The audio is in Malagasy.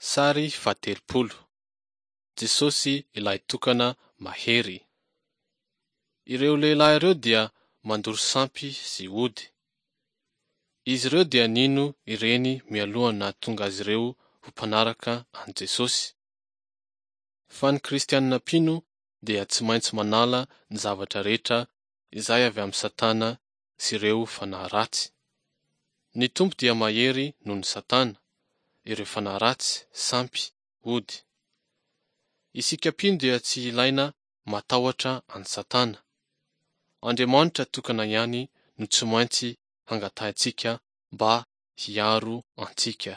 Sary fahatelopolo. Jesosy ilay tokana mahery. Ireo lehilahy ireo dia mandoro sampy sy ody. Izy ireo dia nino ireny mialohan'ny nahatonga azy ireo ho mpanaraka an'i Jesosy. Fa ny kristianina mpino dia tsy maintsy manala ny zavatra rehetra izay avy amin'i Satana sy ireo fanahy ratsy. Ny Tompo dia mahery noho ny Satana, ireo fanahy ratsy, sampy, ody. Isika mpino dia tsy ilaina matahotra an'i Satana. Andriamanitra tokana ihany no tsy maintsy hangatahintsika mba hiaro antsika.